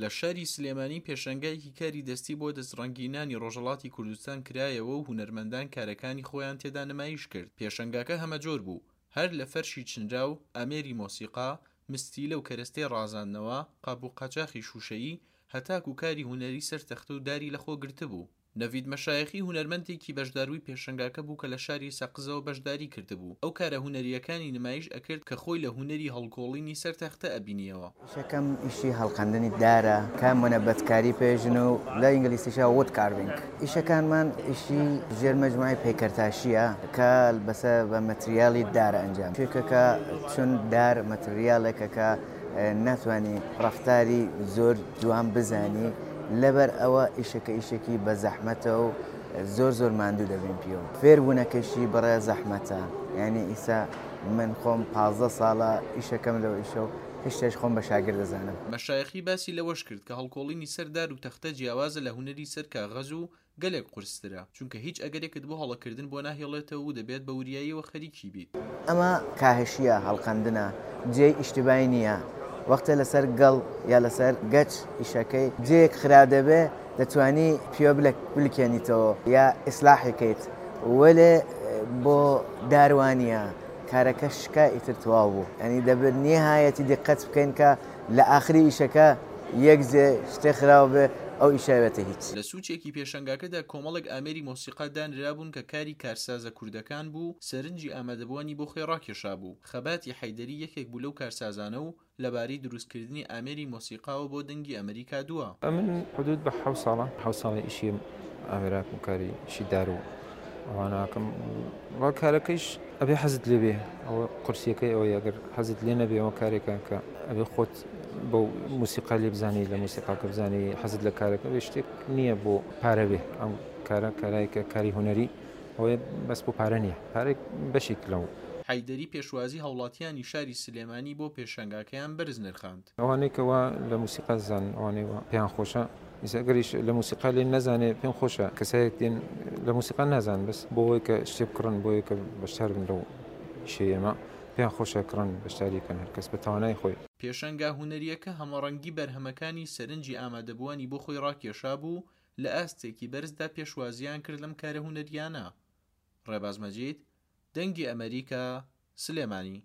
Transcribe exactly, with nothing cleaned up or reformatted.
لە شاری سلێمانی پێشانگایەکی کاری دەستی بۆ دەستڕەنگینانی ڕۆژهەڵاتی کوردستان کرایەوە و هونەرمەندان کارەکانی خۆیان تێدا نمایش کرد. پێشانگاکە هەمەجۆر بوو، هەر لە فەرشی چنراو، ئامێری مۆسیقا، مستیلە و کەرەستەی ڕازاندنەوە، قاپ و قاچاخی شووشەیی، هەتاکو کاری هونەری سەر تەختە و داری لەخۆ گرتبوو. نەڤید مەشایخی هونەرمەندێکی بەشداربووی پێشەنگاکە بوو کە لە شاری سەقزەوە بەشداری کردبوو. ئەو کارە هونەرییەکانی نمایش ئەکرد کە خۆی لە هونەری هەڵکۆڵینی سەر تەختە ئەبینیەوە. ئیشەکەم ئیشی هەڵقەندنی دارە کە مونەبەتکاری پێژن و لە ئینگلیسیشا wood carving. ئیشەکانمان ئیشی ژێر مەجموعەی پەیکەرتاشیە کە بەسە بە مەتریالی دارە ئەنجام شێکەکە، چون دار مەتریالێکە کە ناتوانانی ڕەفتاری زۆر جوان بزانی، لەبەر ئەوە ئیشەکە ئیشێکی بە زەحمەتە و زۆر زۆر ماندوو دەبین پیەوە. فێربوونەکەشی بەڕێ زەحمەتە، یعنی ئیسا من خۆم پازدە ساڵە ئیشەکەم لەو ئیشە و هێشتاش خۆم بە شاگرد دەزانم. مەشایخی باسی لەوەش کرد کە هەڵکۆڵینی سەر دار و تەختە جیاوازە لە هونەری سەر کاغەز و گەلێک قورسترە، چونکە هیچ ئەگەرێکت بۆ هەڵەکردن بۆ ناهێڵێتەوە و دەبێت بە وریاییەوە خەریکی بیت. ئەمە کاهشیە، هەڵقەندنە، جێی ئیشتیبای نییە. وەختە لەسەر گەڵ یا لەسەر گەچ ئیشەکەی جێیەک خراپ دەبێ دەتوانی پیوە بلکێنیتەوە یا ئیسلاحی کەیت، وەلێ بۆ داروانیە کارەکە شکا ئیتر تەواو بوو. ینی دەبێت نیهایەتی دیقەت بکەین کە لە ئاخری ئیشەکە یەک جێ شتێ خراو بێ ئەو ئیشاوێتە هیچ. لە سوچێکی پێشەنگاکەدا کۆمەڵێک ئامێری مۆسیقا دانرابوون کە کاری کارسازە کوردەکان بوو، سەرنجی ئامادەبووانی بۆ خۆی ڕاکێشا بوو. خەباتی حەیدەری یەکێک بوو لەو کارسازانە و لەبارەی دروستکردنی ئامێری مۆسیقاوە بۆ دەنگی ئەمریکا دووە. ئەمن حدود بە حەوت ساڵە، حەوت ساڵی ئیشی ئامێراکم کاری ئیشی دار و ئەواناکەم. وە کارەکەیش ئەبێ حەزت لێ بێ، ئەوە قورسیەکەی ئەوەیە ئەگەر حەزت لێ نەبێ ئەوە کارێکە کە ئەبێ خۆت بەو موسیقا لێ بزانی، لە موسیقاکە بزانی حەزت لە کارەکە بێ. شتێک نییە بۆ پارە بێ، ئەم کارە کارایکە کاری هونەری ئەوەیە بەس بۆ پارە نییە، پارێک بەشێک لەو. حەیدەری پێشوازی هاوڵاتیانی شاری سلێمانی بۆ پێشەنگاکەیان بەرز نرخاند. ئەوانەی کەوا لە موسیقا زانن، ئەوانەی وا پێیان خۆشە، ئیسا ئەگەریش لە موسیقا لێ نەزانێ پێم خۆشە کەسایەک دێن لە موسیقا نازان، بەس بۆ ئەوەی کە شتێ بکڕن، بۆ ئەوەی کە بەشدار بن لەو ئیشەی ئێمە، پێیان خۆشە کڕن بەشداری بکەن، هەرکەس بە توانای خۆی. پێشەنگا هونەریەکە هەمەڕەنگی بەرهەمەکانی سەرنجی ئامادەبووانی بۆ خۆی ڕاکێشا بوو، لە ئاستێکی بەرزدا پێشوازیان کرد لەم کارە هونەریانە. ڕێباز مەجید، دەنگی ئەمریکا، سلێمانی.